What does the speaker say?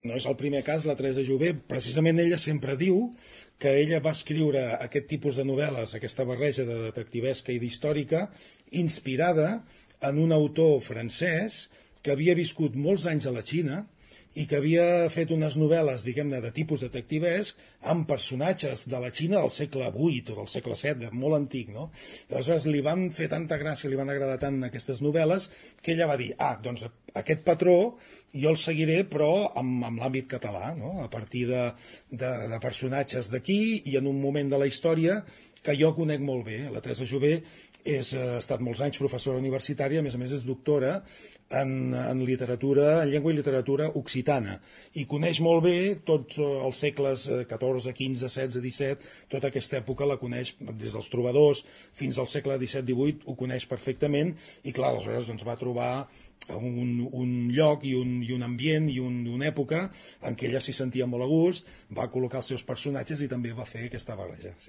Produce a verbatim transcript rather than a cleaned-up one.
No és el primer cas, la Teresa Jové. Precisament ella sempre diu que ella va escriure aquest tipus de novel·les, aquesta barreja de detectivesca i d'històrica, inspirada en un autor francès que havia viscut molts anys a la Xina i que havia fet unes novel·les, diguem-ne, de tipus detectivesc amb personatges de la Xina del segle vuit o del segle set, molt antic, no? I aleshores li van fer tanta gràcia, li van agradar tant aquestes novel·les, que ella va dir, ah, doncs aquest patró jo el seguiré, però amb, amb l'àmbit català, no? A partir de, de, de personatges d'aquí i en un moment de la història que jo conec molt bé. La Teresa Jové és, ha estat molts anys professora universitària, a més a més és doctora en, en literatura, en llengua i literatura occitana, i coneix molt bé tots els segles catorze, quinze, setze, disset, tota aquesta època la coneix des dels trobadors fins al segle disset divuit, ho coneix perfectament, i clar, aleshores doncs, va trobar un, un lloc i un, i un ambient i un, una època en què ella s'hi sentia molt a gust, va col·locar els seus personatges i també va fer aquesta barreja. Sí.